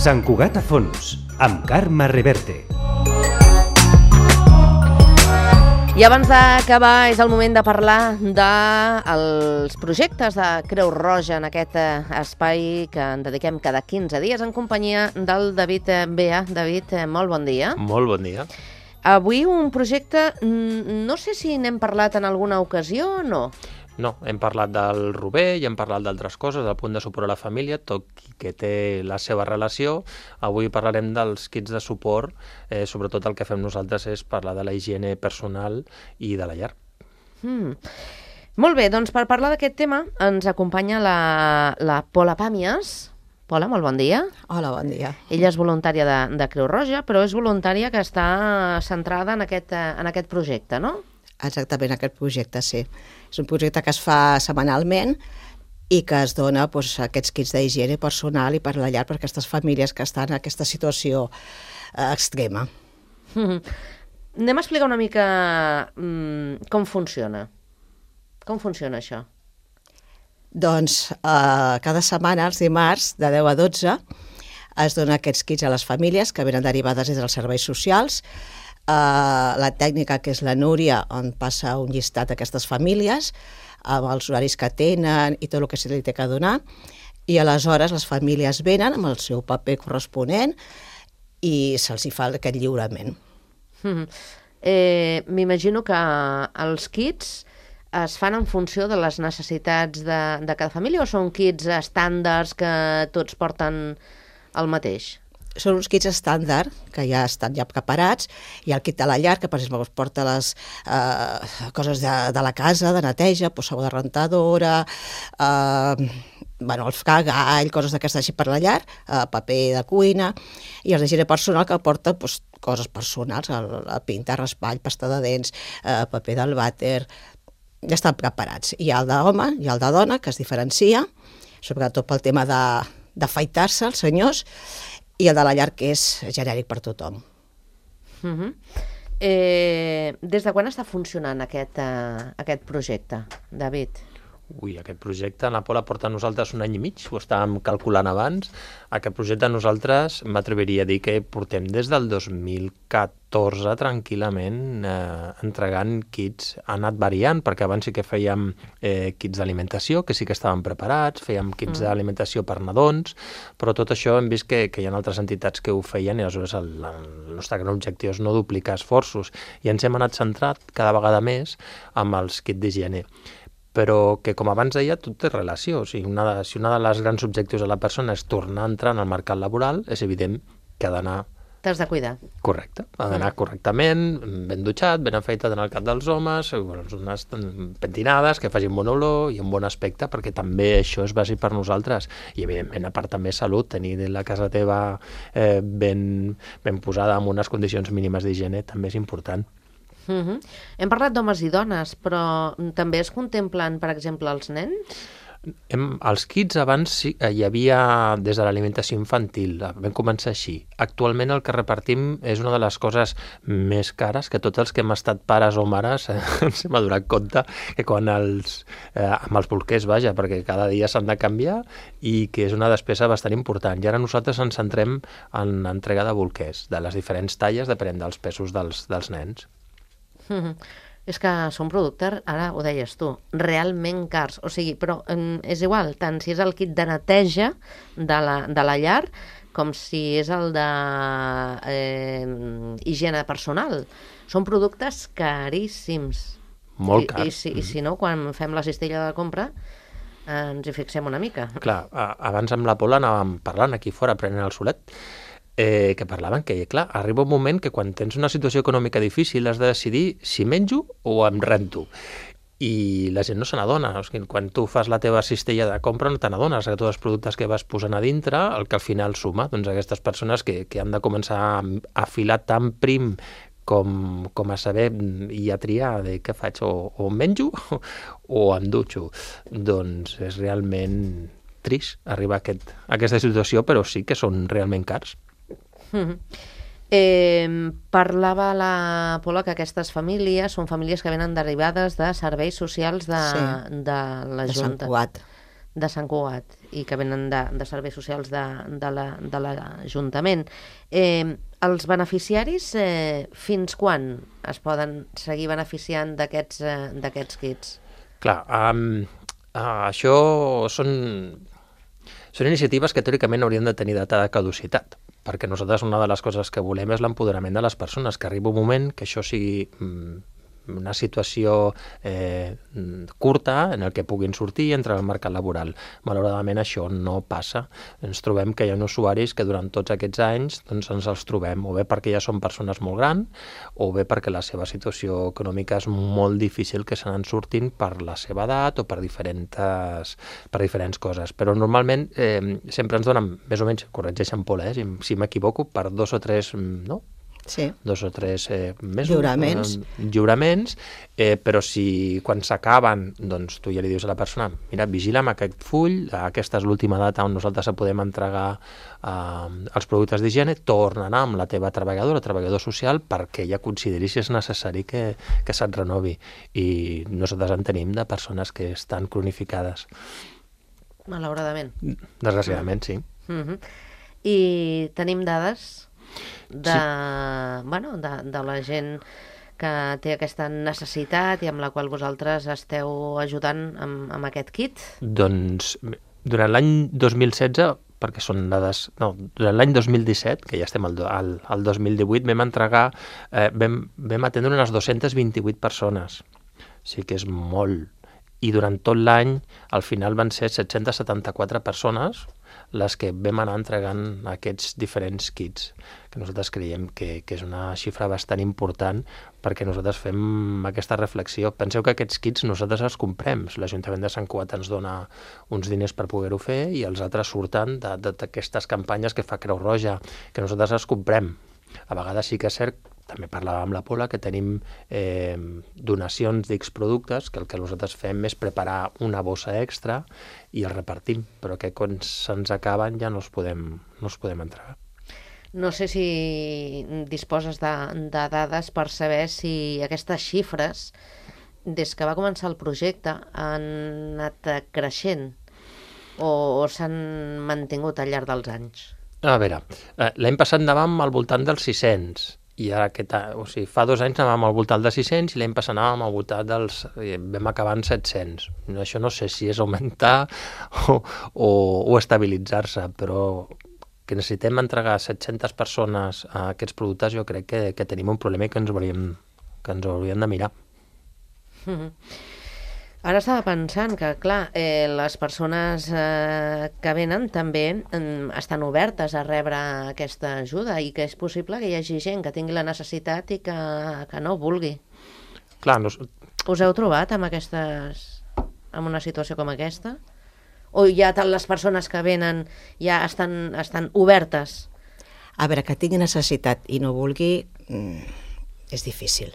Sant Cugat a fons, amb Carme Reverte. I abans d'acabar és el moment de parlar dels projectes de Creu Roja en aquest espai que en dediquem cada 15 dies en companyia del David Bea. David, molt bon dia. Molt bon dia. Avui un projecte, no sé si n'hem parlat en alguna ocasió o no. No, hem parlat del Rober i hem parlat d'altres coses, del punt de suport a la família, tot que té la seva relació. Avui parlarem dels kits de suport, sobretot el que fem nosaltres és parlar de la higiene personal i de la llar. Molt bé, doncs per parlar d'aquest tema ens acompanya la Pola Pàmies. Pola, molt bon dia. Hola, bon dia. Ella és voluntària de Creu Roja, però és voluntària que està centrada en aquest projecte, no? Exactament, aquest projecte, sí. És un projecte que es fa setmanalment i que es dona aquests kits d'higiene personal i per la llar per aquestes famílies que estan en aquesta situació extrema. Anem a explicar una mica com funciona. Com funciona això? Doncs cada setmana, els dimarts, de 10 a 12, es dona aquests kits a les famílies que venen derivades des dels serveis socials. La tècnica, que és la Núria, on passa un llistat d'aquestes famílies, amb els horaris que tenen i tot el que se li té que donar, i aleshores les famílies venen amb el seu paper corresponent i se'ls hi fa aquest lliurament. M'imagino que els kits es fan en funció de les necessitats de cada família o són kits estàndards que tots porten el mateix? Són uns kits estàndard, que ja estan preparats. Hi ha el kit de la llar, que per exemple porta les coses de la casa, de neteja, sabó de rentadora, el fragall, coses d'aquestes així per la llar, paper de cuina, i els d'higiene personal que porta coses personals, la pinta, raspall, pasta de dents, paper del vàter, ja estan preparats. Hi ha el d'home i el de dona, que es diferencia, sobretot pel tema d'afaitar-se, els senyors, i el de la llar, que és genèric per tothom. Des de quan està funcionant aquest projecte, David? Aquest projecte la Pola porta a nosaltres 1 any i mig, ho estàvem calculant abans. Aquest projecte nosaltres m'atreviria a dir que portem des del 2014 tranquil·lament entregant kits. Ha anat variant, perquè abans sí que fèiem kits d'alimentació, que sí que estaven preparats, fèiem kits d'alimentació per nadons, però tot això hem vist que hi ha altres entitats que ho feien i aleshores el nostre gran objectiu és no duplicar esforços i ens hem anat centrat cada vegada més amb els kits d'higiene. Però que, com abans deia, tot té relació. Si una de les grans objectius de la persona és tornar a entrar en el mercat laboral, és evident que ha d'anar... T'has de cuidar. Correcte. Ha d'anar correctament, ben dutxat, ben afeitat en el cap dels homes, unes pentinades que facin bon olor i un bon aspecte, perquè també això és bàsic per nosaltres. I, evidentment, a part també salut, tenir la casa teva ben posada en unes condicions mínimes d'higiene també és important. Hem parlat d'homes i dones, però també es contemplen, per exemple, els nens? Els kits abans hi havia des de l'alimentació infantil, vam començar així. Actualment el que repartim és una de les coses més cares que tots els que hem estat pares o mares ens hem adonat compte que quan amb els bolquers, perquè cada dia s'han de canviar i que és una despesa bastant important. I ara nosaltres ens centrem en l'entrega de bolquers, de les diferents talles, depenent dels pesos dels nens. És que són productes, ara ho deies tu, realment cars. O sigui, però és igual, tant si és el kit de neteja de la llar com si és el de higiene personal. Són productes caríssims. Molt cars. I si no, quan fem la cistella de compra, ens hi fixem una mica. Clar, abans amb la Pola anàvem parlant aquí fora, prenent el solet, que parlaven que, clar, arriba un moment que quan tens una situació econòmica difícil has de decidir si menjo o em rento. I la gent no se n'adona. O sigui, quan tu fas la teva cistella de compra no te n'adones que tots els productes que vas posant a dintre, el que al final suma, doncs aquestes persones que han de començar a filar tan prim com a saber i a triar de què faig, o menjo o em dutxo. Doncs és realment trist arribar a aquesta situació, però sí que són realment cars. Parlava la Pola que aquestes famílies són famílies que venen derivades de serveis socials de la Junta. De Sant Cugat. de Sant Cugat i que venen de serveis socials de l'Ajuntament. Els beneficiaris fins quan es poden seguir beneficiant d'aquests kits? Clar, això són iniciatives que teòricament haurien de tenir data de caducitat, perquè nosaltres una de les coses que volem és l'empoderament de les persones, que arribi un moment que això sigui una situació curta en el que puguin sortir i entrar al mercat laboral. Malauradament això no passa. Ens trobem que hi ha usuaris que durant tots aquests anys doncs ens els trobem, o bé perquè ja són persones molt grans, o bé perquè la seva situació econòmica és molt difícil que se n'han sortint per la seva edat o per diferents coses. Però normalment sempre ens donen, més o menys, corregeixen Paula, si m'equivoco, per 2 o 3, no? Sí. 2 o 3 mesos, lliuraments, però si quan s'acaben, doncs tu ja li dius a la persona, mira, vigila'm aquest full, aquesta és l'última data on nosaltres podem entregar els productes d'higiene, torna a anar amb la teva treballadora o treballador social perquè ja consideri si és necessari que se't renovi. I nosaltres en tenim de persones que estan cronificades. Malauradament. Desgraciadament, sí. I tenim dades de la gent que té aquesta necessitat i amb la qual vosaltres esteu ajudant amb aquest kit? Doncs durant l'any 2016, perquè són dades... No, durant l'any 2017, que ja estem al 2018, vam atendre unes 228 persones. Sí que és molt. I durant tot l'any, al final van ser 774 persones les que vam anar entregant aquests diferents kits, que nosaltres creiem que és una xifra bastant important perquè nosaltres fem aquesta reflexió. Penseu que aquests kits nosaltres els comprem. L'Ajuntament de Sant Cugat ens dona uns diners per poder-ho fer i els altres surten d'aquestes campanyes que fa Creu Roja, que nosaltres els comprem. A vegades sí que és cert, també parlàvem amb la Paula, que tenim donacions d'X productes, que el que nosaltres fem és preparar una bossa extra i els repartim, però que quan se'ns acaben ja no els podem entregar. No sé si disposes de dades per saber si aquestes xifres, des que va començar el projecte, han anat creixent o s'han mantingut al llarg dels anys. A veure, l'any passat anàvem al voltant dels 600, i ara fa 2 anys anàvem al voltant de 600 i l'any passat anàvem al voltant vam acabar en 700. Això no sé si és augmentar o estabilitzar-se, però que necessitem entregar 700 persones a aquests productes, jo crec que tenim un problema i que ens hauríem de mirar. Ara estava pensant que, clar, les persones que venen també estan obertes a rebre aquesta ajuda i que és possible que hi hagi gent que tingui la necessitat i que no vulgui. Clar, Us heu trobat amb una situació com aquesta? O ja les persones que venen ja estan obertes? A veure, que tingui necessitat i no vulgui és difícil.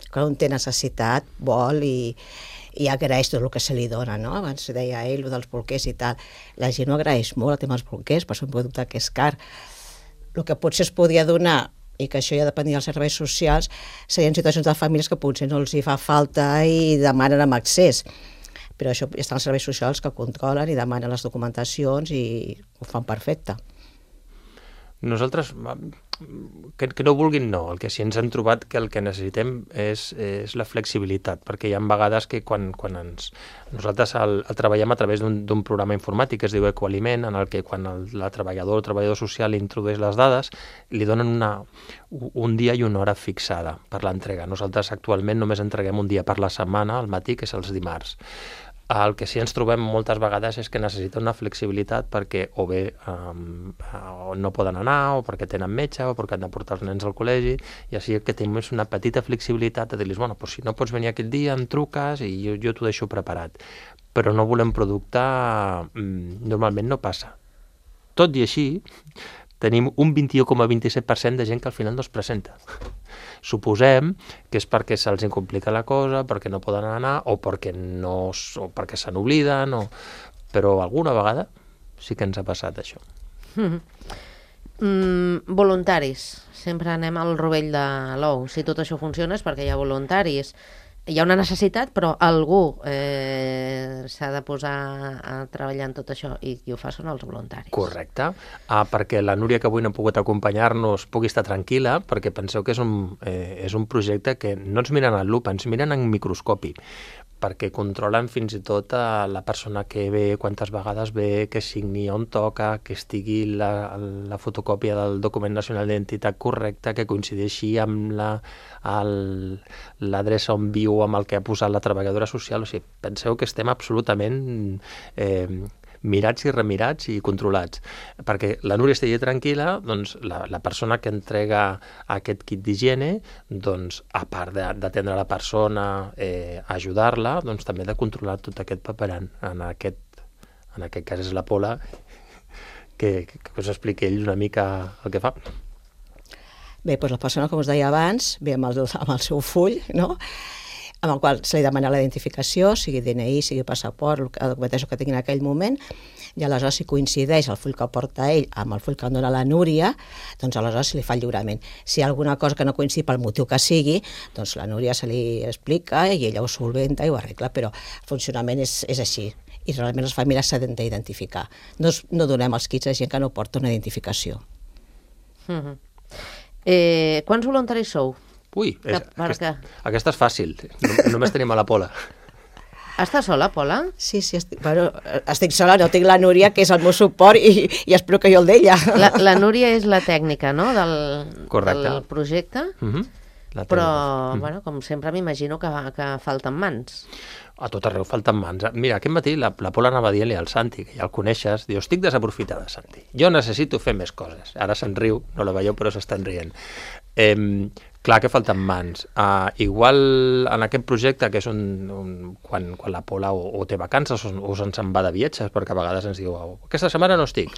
Quan un té necessitat, vol i agraeix tot el que se li dona, no? Abans deia ell, el dels bolquers i tal. La gent ho agraeix molt, el tema dels bolquers, per ser un producte que és car. El que potser es podia donar, i que això ja depenia dels serveis socials, serien situacions de famílies que potser no els hi fa falta i demanen amb accés. Però això estan els serveis socials que controlen i demanen les documentacions i ho fan perfecte. Nosaltres, que no vulguin, no. El que sí ens hem trobat que el que necessitem és la flexibilitat, perquè hi ha vegades que quan nosaltres el treballem a través d'un programa informàtic que es diu Ecoaliment, en el que quan la treballadora o treballador social introdueix les dades, li donen un dia i una hora fixada per l'entrega. Nosaltres actualment només entreguem un dia per la setmana, al matí, que és els dimarts. El que sí ens trobem moltes vegades és que necessita una flexibilitat perquè o bé no poden anar, o perquè tenen metge, o perquè han de portar els nens al col·legi, i així que tenim una petita flexibilitat de dir-los, bueno, si no pots venir aquell dia, em truques i jo t'ho deixo preparat. Però no volem producte, normalment no passa. Tot i així, tenim un 21,27% de gent que al final no es presenta. Suposem que és perquè se'ls complica la cosa, perquè no poden anar, o perquè se n'obliden, però alguna vegada sí que ens ha passat això. Voluntaris. Sempre anem al rovell de l'ou. Si tot això funciona és perquè hi ha voluntaris. hi ha una necessitat, però algú s'ha de posar a treballar en tot això i qui ho fa són els voluntaris. Correcte, perquè la Núria, que avui no ha pogut acompanyar-nos, pugui estar tranquil·la, perquè penseu que és un projecte que no ens miren al lupa, ens miren en microscopi, perquè controlen fins i tot la persona que ve, quantes vegades ve, que signi on toca, que estigui la fotocòpia del document nacional d'identitat correcta, que coincideixi amb l'adreça on viu, amb el que ha posat la treballadora social. O sigui, penseu que estem absolutament mirats i remirats i controlats. Perquè la Núria estigui tranquil·la, doncs la persona que entrega aquest kit d'higiene, doncs, a part d'atendre la persona, ajudar-la, doncs també de controlar tot aquest paperant. En aquest cas és la Pola, que us expliqui ell una mica el que fa. Bé, doncs la persona, com us deia abans, ve amb el seu full, no?, amb el qual se li demana la identificació, sigui DNI, sigui passaport, la documentació que tingui en aquell moment, i aleshores si coincideix el full que porta ell amb el full que dona la Núria, doncs aleshores se li fa el lliurament. Si hi ha alguna cosa que no coincidi pel motiu que sigui, doncs la Núria se li explica i ella ho solventa i ho arregla, però el funcionament és així. I realment les famílies s'han d'identificar. No donem els kits a gent que no porta una identificació. Quants voluntaris sou? Ui, aquesta és fàcil. Només tenim a la Pola. Estàs sola, Pola? Sí, estic sola, no tinc la Núria, que és el meu suport, i espero que jo el d'ella. La Núria és la tècnica, no?, del projecte, però, bueno, com sempre m'imagino que falten mans. A tot arreu falten mans. Mira, aquest matí la Pola anava dient-li al Santi, que ja el coneixes, diu, estic desaprofitada, Santi. Jo necessito fer més coses. Ara se'n riu, no la veieu, però s'estan rient. Clar que falten mans. Igual en aquest projecte, que és quan la Pola o té vacances o se'n va de viatges, perquè a vegades ens diu, aquesta setmana no estic.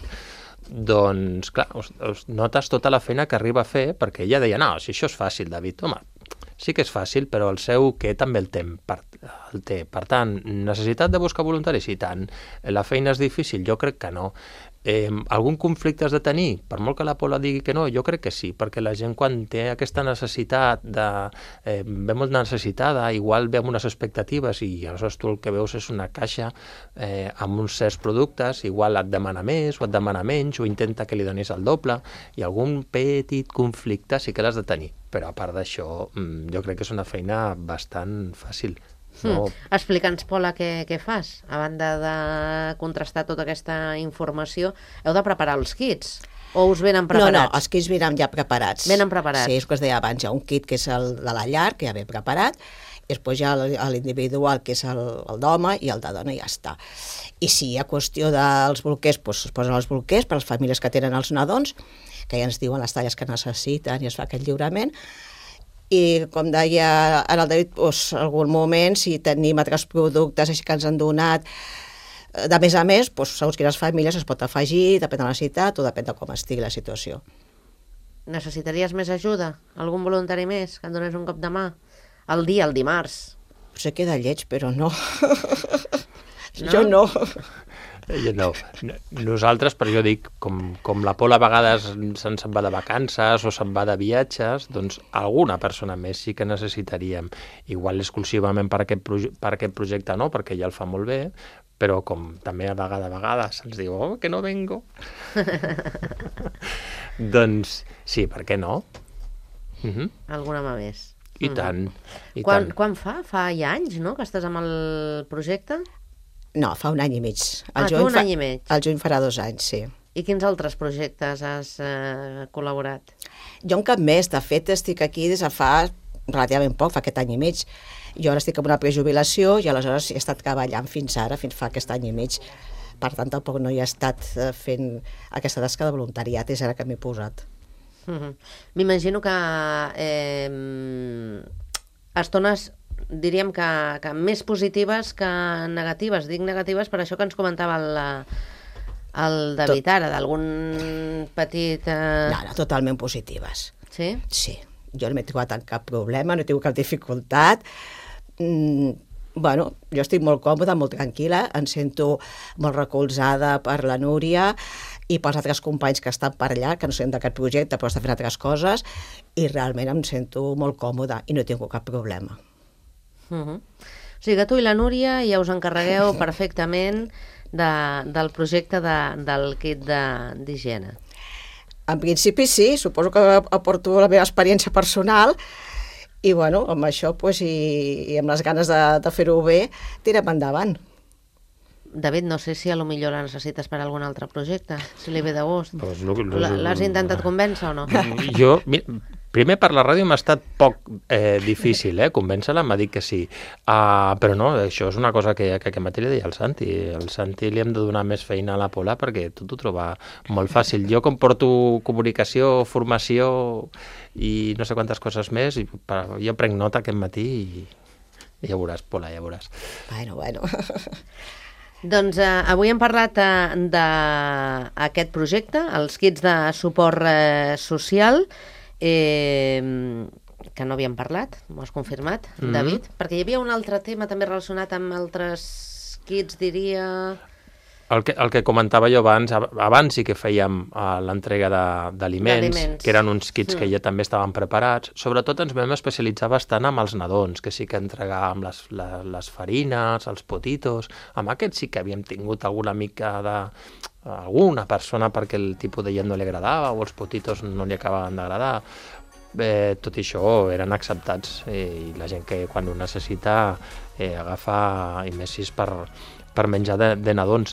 Doncs, clar, notes tota la feina que arriba a fer, perquè ella deia, no, si això és fàcil, David, home, sí que és fàcil, però el seu què també el té. Per tant, necessitat de buscar voluntaris? I tant. La feina és difícil? Jo crec que no. Algun conflicte has de tenir? Per molt que la Pola digui que no, jo crec que sí, perquè la gent quan té aquesta necessitat ve molt necessitada, igual ve amb unes expectatives i aleshores tu el que veus és una caixa amb uns certs productes, igual et demana més o et demana menys o intenta que li donis el doble, i algun petit conflicte sí que l'has de tenir, però a part d'això jo crec que és una feina bastant fàcil. No. Explica'ns, Pola, què fas? A banda de contrastar tota aquesta informació, heu de preparar els kits? O us venen preparats? No, els kits venen ja preparats. Venen preparats? Sí, és el que es deia abans, hi ha un kit que és el de la llar, que ja ve preparat, i després hi ha l'individual, que és el d'home, i el de dona, i ja està. I si hi ha qüestió dels bolquers, doncs es posen els bolquers per a les famílies que tenen els nadons, que ja ens diuen les talles que necessiten i es fa aquest lliurament. I com deia ara el David, doncs, en algun moment, si tenim altres productes així que ens han donat de més a més, doncs, segons quines famílies es pot afegir, depèn de la necessitat o depèn de com estigui la situació. Necessitaries més ajuda? Algun voluntari més que et donés un cop de mà? El dimarts. Potser queda lleig, però no. Jo no. No. Nosaltres, però jo dic, com la Pola a vegades se'n va de vacances o se'n va de viatges, doncs alguna persona més sí que necessitaríem. Igual exclusivament per aquest projecte no, perquè ja el fa molt bé, però com també a vegades se'ns diu, que no vengo. Doncs sí, per què no? Alguna mà més. I tant. Quan fa? Fa ja anys, no?, que estàs amb el projecte? No, fa un any i mig. Un any i mig. El juny farà 2 anys, sí. I quins altres projectes has col·laborat? Jo en cap més. De fet, estic aquí des de fa relativament poc, fa aquest any i mig. Jo ara estic en una prejubilació i aleshores he estat treballant fins ara, fins fa aquest any i mig. Per tant, tampoc no hi he estat fent aquesta tasca de voluntariat, és ara que m'he posat. M'imagino que estones, diríem que més positives que negatives. Dic negatives per això que ens comentava el David ara, d'algun petit... No, totalment positives. Sí? Sí. Jo no m'he trobat en cap problema, no he tingut cap dificultat. Bueno, jo estic molt còmoda, molt tranquil·la, em sento molt recolzada per la Núria i pels altres companys que estan per allà, que no són d'aquest projecte, però estan fent altres coses, i realment em sento molt còmoda i no he tingut cap problema. O sigui que tu i la Núria ja us encarregueu perfectament del projecte del kit d'higiene. En principi sí, suposo que aporto la meva experiència personal i bueno, amb això i amb les ganes de fer-ho bé, tirem endavant. David, no sé si a lo millor la necessites per algun altre projecte, si li ve de gust. Pues L'has intentat convèncer o no? Jo, primer per la ràdio m'ha estat poc difícil, convèncer-la, m'ha dit que sí. Però no, això és una cosa que aquest matí li deia al Santi. Al Santi li hem de donar més feina a la Pola perquè tot ho troba molt fàcil. Jo com porto comunicació, formació i no sé quantes coses més, jo prenc nota aquest matí i ja veuràs, Pola, ja veuràs. Bueno. Doncs avui hem parlat d'aquest projecte, els kits de suport social, que no havíem parlat, m'ho has confirmat, David? Perquè hi havia un altre tema també relacionat amb altres kits, diria... El que comentava jo abans sí que fèiem l'entrega d'aliments, que eren uns kits que ja també estaven preparats. Sobretot ens vam especialitzar bastant amb els nadons, que sí que entregàvem les farines, els potitos. Amb aquests sí que havíem tingut alguna mica alguna persona perquè el tipus de llet no li agradava o els potitos no li acabaven d'agradar. Tot i això eren acceptats i la gent que quan ho necessita agafa, i més si és per menjar de nadons.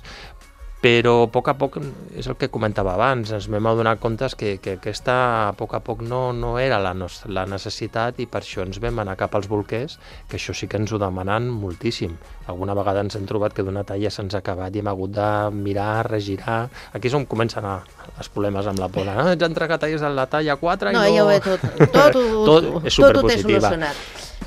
Però a poc és el que comentava abans, ens vam adonar comptes que aquesta a poc no era la necessitat i per això ens vam anar cap als bolquers, que això sí que ens ho demanen moltíssim. Alguna vegada ens hem trobat que d'una talla se'ns ha acabat i hem hagut de mirar, regirar. Aquí és on comencen els problemes amb la Pola. Ets entregat a la talla 4 i no... No, ja ho he tot és superpositiva. solucionat.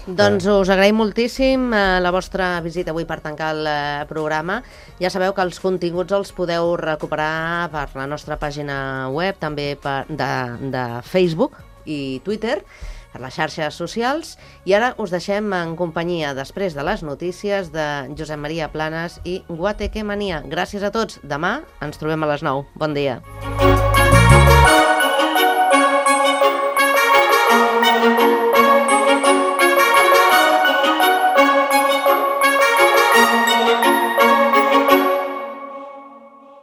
Doncs us agraïm moltíssim la vostra visita avui per tancar el programa. Ja sabeu que els continguts els podeu recuperar per la nostra pàgina web, també de Facebook i Twitter, per les xarxes socials. I ara us deixem en companyia, després de les notícies, de Josep Maria Planes i Guateque Mania. Gràcies a tots. Demà ens trobem a les 9. Bon dia.